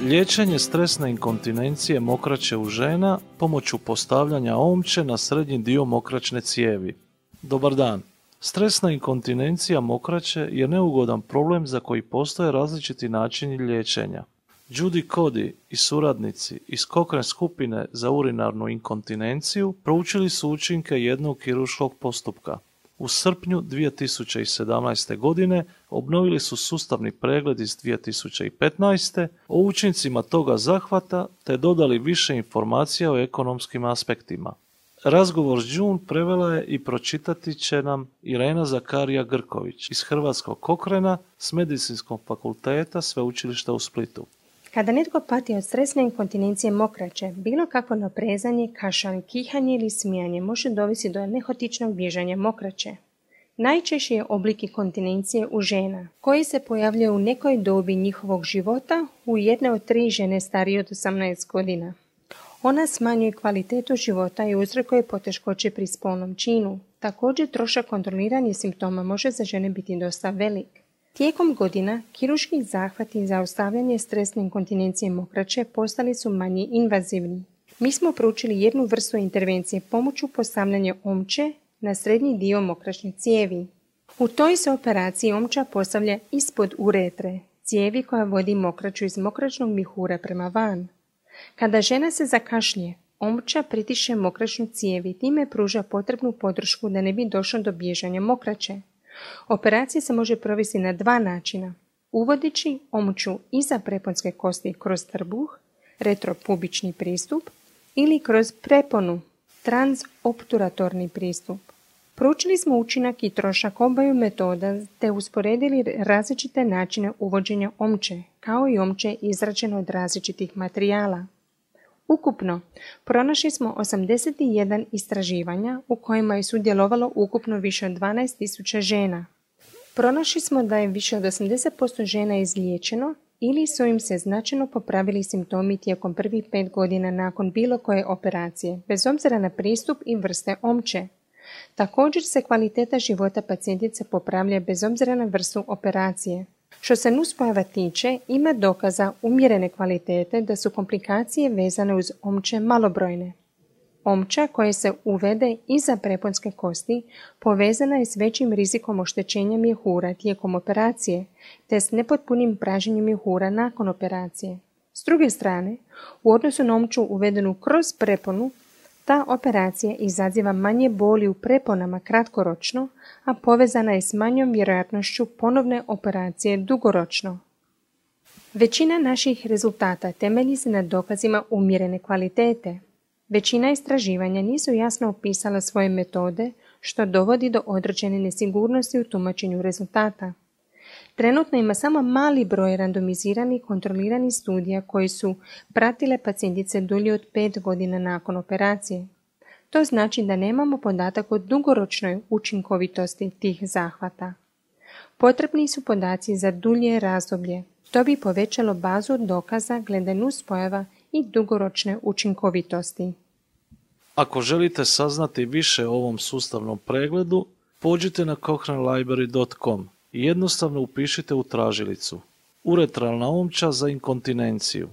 Liječenje stresne inkontinencije mokraće u žena pomoću postavljanja omče na srednji dio mokraćne cijevi. Dobar dan. Stresna inkontinencija mokraće je neugodan problem za koji postoje različiti načini liječenja. Judy Cody i suradnici iz Cochrane skupine za urinarnu inkontinenciju proučili su učinke jednog kirurškog postupka. U srpnju 2017. godine obnovili su sustavni pregled iz 2015. o učincima toga zahvata te dodali više informacija o ekonomskim aspektima. Razgovor s June prevela je i pročitati će nam Irena Zakarija Grković iz Hrvatskog Cochrana s Medicinskog fakulteta Sveučilišta u Splitu. Kada netko pati od stresne inkontinencije mokraće, bilo kakvo naprezanje, kašalj, kihanje ili smijanje može dovesti do nehotičnog bježanja mokraće. Najčešći je oblik inkontinencije u žena, koji se pojavljuje u nekoj dobi njihovog života u jedne od 3 žene starije od 18 godina. Ona smanjuje kvalitetu života i uzrokuje poteškoće pri spolnom činu. Također, trošak kontroliranja simptoma može za žene biti dosta velik. Tijekom godina, kirurški zahvati za zaustavljanje stresne inkontinencije mokraće postali su manje invazivni. Mi smo proučili jednu vrstu intervencije pomoću postavljanja omče na srednji dio mokraćne cijevi. U toj se operaciji omča postavlja ispod uretre, cijevi koja vodi mokraću iz mokraćnog mjehura prema van. Kada žena se zakašlje, omča pritišće mokraćnu cijev i time pruža potrebnu podršku da ne bi došlo do bježanja mokraće. Operacija se može provesti na 2 načina. Uvodeći omču iza preponske kosti kroz trbuh, retropubični pristup, ili kroz preponu, transobturatorni pristup. Proučili smo učinak i trošak obaju metoda te usporedili različite načine uvođenja omče, kao i omče izrađeno od različitih materijala. Ukupno, pronašli smo 81 istraživanja u kojima je sudjelovalo ukupno više od 12.000 žena. Pronašli smo da je više od 80% žena izliječeno ili su im se značajno popravili simptomi tijekom prvih 5 godina nakon bilo koje operacije, bez obzira na pristup i vrste omče. Također se kvaliteta života pacijentice popravlja bez obzira na vrstu operacije. Što se nuspojava tiče, ima dokaza umjerene kvalitete da su komplikacije vezane uz omče malobrojne. Omča koja se uvede iza preponske kosti povezana je s većim rizikom oštećenja mjehura tijekom operacije, te s nepotpunim pražnjenjem mjehura nakon operacije. S druge strane, u odnosu na omču uvedenu kroz preponu, ta operacija izaziva manje boli u preponama kratkoročno, a povezana je s manjom vjerojatnošću ponovne operacije dugoročno. Većina naših rezultata temelji se na dokazima umjerene kvalitete. Većina istraživanja nisu jasno opisala svoje metode, što dovodi do određene nesigurnosti u tumačenju rezultata. Trenutno ima samo mali broj randomiziranih kontroliranih studija koji su pratile pacijentice dulje od 5 godina nakon operacije. To znači da nemamo podatak o dugoročnoj učinkovitosti tih zahvata. Potrebni su podaci za dulje razdoblje. To bi povećalo bazu dokaza glede nuspojava i dugoročne učinkovitosti. Ako želite saznati više o ovom sustavnom pregledu, pođite na cochranelibrary.com i jednostavno upišite u tražilicu uretralna omča za inkontinenciju